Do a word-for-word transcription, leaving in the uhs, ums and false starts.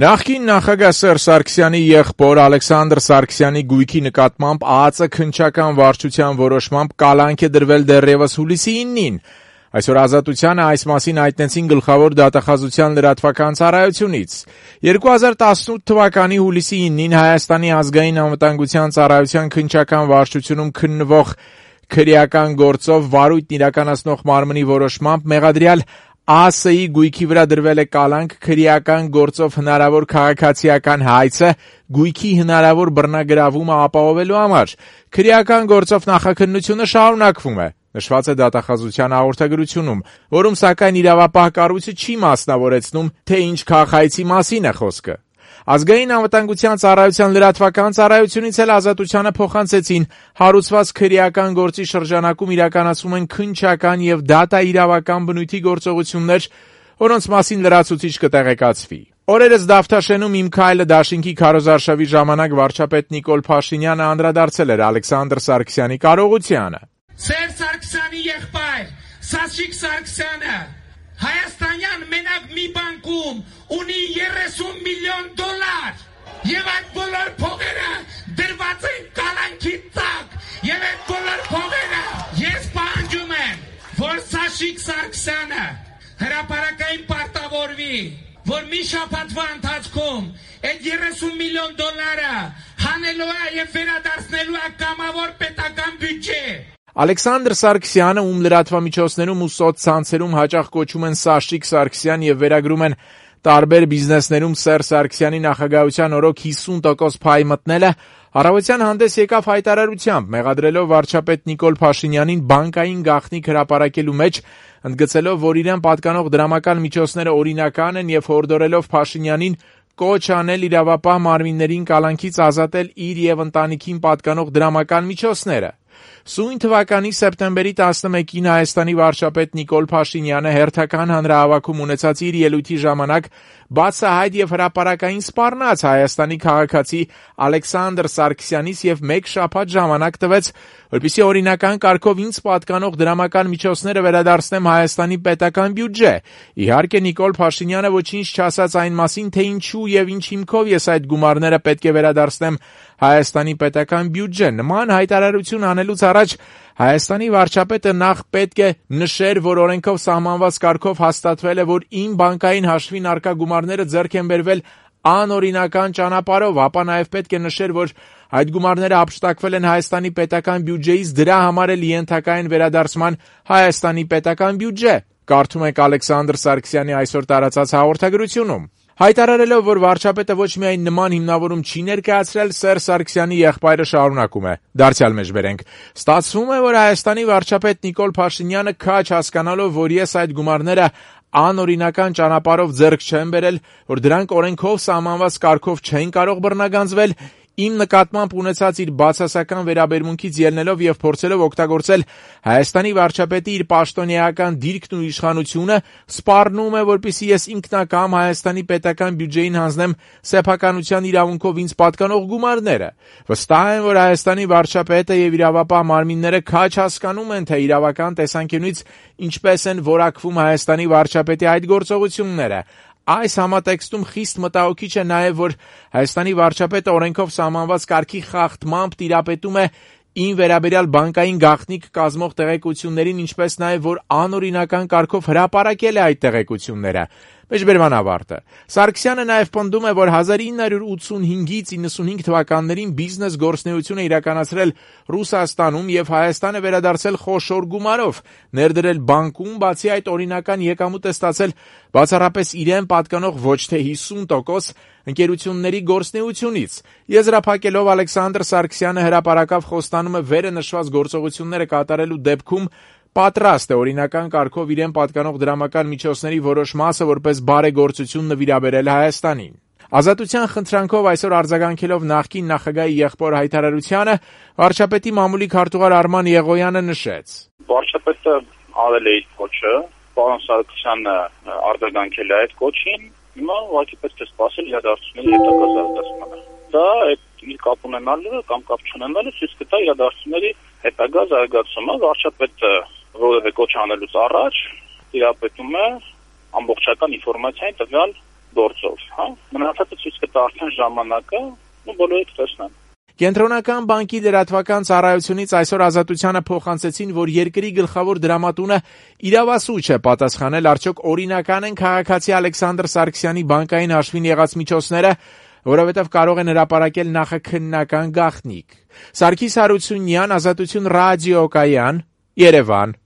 Նախկին նախագահ Սերժ Սարգսյանի եղբոր Ալեքսանդր Սարգսյանի գույքի նկատմամբ ԱԱԾ քննչական վարչության որոշմամբ կալանք է դրվել դեռևս հուլիսի իննին։ Այսօր Ազատությանը այս մասին հայտնեցին գլխավոր դատախազության լրատվական ծառայությունից։ երկու հազար տասնութ թվականի հուլիսի իննին Հայաստանի ազգային անվտանգության ծառայության քննչական վարչությունում քննվող քրեական գործով վարույթն իրականացնող մարմնի որոշմամբ մեղադրյալ ԱԱՍ-ի գույքի վրա դրվել է կալանք քրեական գործով հնարավոր քաղաքացիական հայցը գույքի հնարավոր բռնագրավումը ապահովելու համար։ Քրեական գործով նախաքննությունը շարունակվում է, նշված է դատախազության հաղորդագրությունում, որում սակայն իրավապահ կառույցը չի մասնավորեցնում, թե ինչ քաղաքացի մասին է խոսքը։ Ազգային անվտանգության ծառայության լրատվական ծառայությունից էլ Ազատությանը փոխանցեցին հարուցված քրեական գործի շրջանակում իրականացում են քննչական եւ դատա իրավական բնույթի գործողություններ, որոնց մասին լրացուցիչ կտեղեկացվի։ Օրերս Դավթաշենում «Իմ քայլը» դաշինքի քարոզարշավի ժամանակ վարչապետ Նիկոլ Փաշինյանը անդրադարձել էր Ալեքսանդր Սարգսյանի կարողությանը։ Սերժ Սարգսյանի եղբայր Սաշիկ Սարգսյանը Հայաստանյան մենակ մի բանկում ունի երեսուն միլիոն դոլար եւ այդ բոլոր փողերը դրված են կալանքի տակ եւ այդ բոլոր փողերը ես պահանջում եմ, որ Սաշիկ Սարգսյանը հրապարակային պարտավորվի, որ մի շաբաթվա ընթացքում այդ երեսուն միլիոն դոլարը հանելու է եւ վերադարձնելու է կամավոր պետական բյուջե։ Ալեքսանդր Սարգսյանը, ում լրատվամիջոցներում ու սոցցանցերում հաճախ կոչում են Սաշիկ Սարգսյան եւ վերագրում են տարբեր բիզնեսներում Սերժ Սարգսյանի նախագահության օրոք հիսուն տոկոս փայ մտնելը, առավոտյան հանդես եկավ հայտարարությամբ, մեղադրելով վարչապետ Նիկոլ Փաշինյանին բանկային գաղտնիք հրապարակելու մեջ, ընդգծելով, որ իրեն պատկանող դրամական միջոցները օրինական են եւ հորդորելով Փաշինյանին կոչ անել իրավապահ մարմիններին կալանքից ազատել իր եւ ընտանիքին պատկանող դրամական միջոցները։ Սույն թվականի սեպտեմբերի տասնմեկին Հայաստանի վարչապետ Նիկոլ Փաշինյանը հերթական հանրահավաքում ունեցած իր ելույթի ժամանակ բացահայտ եւ հրապարակային սպառնաց Հայաստանի քաղաքացի Ալեքսանդր Սարգսյանից եւ մեկ շաբաթ ժամանակ տվեց, որպեսզի օրինական կարգով ինձ պատկանող դրամական միջոցները վերադարձնեմ Հայաստանի պետական բյուջե։ Իհարկե Նիկոլ Փաշինյանը ոչինչ չասաց այն մասին, թե ինչու եւ ինչ հիմքով ես այդ գումարները պետք է վերադարձնեմ Հայաստանի պետական բյուջե։ Նման հայտարարություն անելուց առաջ Հայաստանի վարչապետը նախ պետք է նշեր, որ օրենքով սահմանված կարգով հաստատվել է, որ իմ բանկային հաշվին առկա գումարները ձեռք են բերվել անօրինական ճանապարհով, ապա նաև պետք է նշեր, որ այդ գումարները հափշտակվել են Հայաստանի պետական բյուջեից, դրա համար էլ ենթակա են վերադարձման Հայաստանի պետական բյուջե։ Կարդում եք Ալեքսանդր Սարգսյանի այսօր տարածած հաղորդագրությունում։ Հայտարարելով, որ վարչապետը ոչ միայն նման հիմնավորում չի ներկայացրել, Սերժ Սարգսյանի եղբայրը շարունակում է. Դարձյալ մեջբերենք. Ստացվում է, որ Հայաստանի վարչապետ Նիկոլ Փաշինյանը քաջ հասկանալով, որ ես այդ գումարները անօրինական ճանապարհով ձեռք չեմ բերել, որ դրանք օրենքով սահմանված կարգով չեն կարող բռնագանձվել, իմ նկատմամբ ունեցած իր բացասական վերաբերմունքից ելնելով եւ փորձելով օգտագործել Հայաստանի վարչապետի իր պաշտոնեական դիրքն ու իշխանությունը, սպառնում է, որպեսզի ես ինքնակամ Հայաստանի պետական բյուջեին հանձնեմ սեփականության իրավունքով ինձ պատկանող գումարները։ Վստահ եմ, որ Հայաստանի վարչապետը եւ իրավապահ մարմինները քաջ հասկանում են, թե իրավական տեսանկյունից ինչպես են որակվում Հայաստանի վարչապետի այդ գործողությունները։ Այս համատեքստում խիստ մտահոգիչ է նաև, որ Հայաստանի վարչապետը օրենքով սահմանված կարգի խախտմամբ տիրապետում է ին վերաբերյալ բանկային գաղտնիք կազմող տեղեկություններին, ինչպես նաև որ անօրինական կարգով հրապարակել է այդ տեղեկությունները։ Մեջբերման ավարտը։ Սարգսյանը նաև պնդում է, որ հազար ինը հարյուր ութսունհինգից իննսունհինգ թվականներին բիզնես գործունեություն է իրականացրել Ռուսաստանում եւ Հայաստան է վերադարձել խոշոր գումարով, ներդրել բանկում, բացի այդ օրինական եկամուտ է ստացել բացառապես իրեն պատկանող ոչ թե հիսուն տոկոս ընկերությունների գործունեությունից։ Եզրափակելով Ալեքսանդր Սարգսյանը հրապարակավ խոստանում է վերը նշված գործողությունները կատարելու դեպքում պատրաստ է օրինական կարգով իրեն պատկանող դրամական միջոցների որոշ մասը որպես բարեգործություն նվիրաբերել Հայաստանին։ Ազատության խնդրանքով այսօր արձագանքելով նախկին նախագահի եղբոր հայտարարությանը, վարչապետի մամուլի քարտուղար Արման Եղոյանը նշեց. Վարչապետը արել է իր կոչը, պարոն Սարգսյանը արձագանքել է այդ կոչին, հիմա ուղղակի պետք է սպասել իրադարձությունների հետագա զարգացմանը։ Դա այդ իր կապ ունենալը կամ կապ չունենալը ցույց կտա իրադարձությունների հետագա զարգացումը։ Վարչապետը որևէ կոչ անելուց առաջ տիրապետում է ամբողջական ինֆորմացիային տվյալ գործով, հա։ Մնացածը դա արդեն ժամանակը ու բոլորը կտեսնեն։ Կենտրոնական բանկի լրատվական ծառայությունից այսօր Ազատությանը փոխանցեցին, որ երկրի գլխավոր դրամատունը իրավասու չէ պատասխանել, արդյոք օրինական են քաղաքացի Ալեքսանդր Սարգսյանի բանկային հաշվին եղած միջոցները, որովհետև կարող են հրապարակել նախաքննական գաղտնիք։ Սարգիս Հարությունյան, Ազատություն ռադիոկայան, Երևան։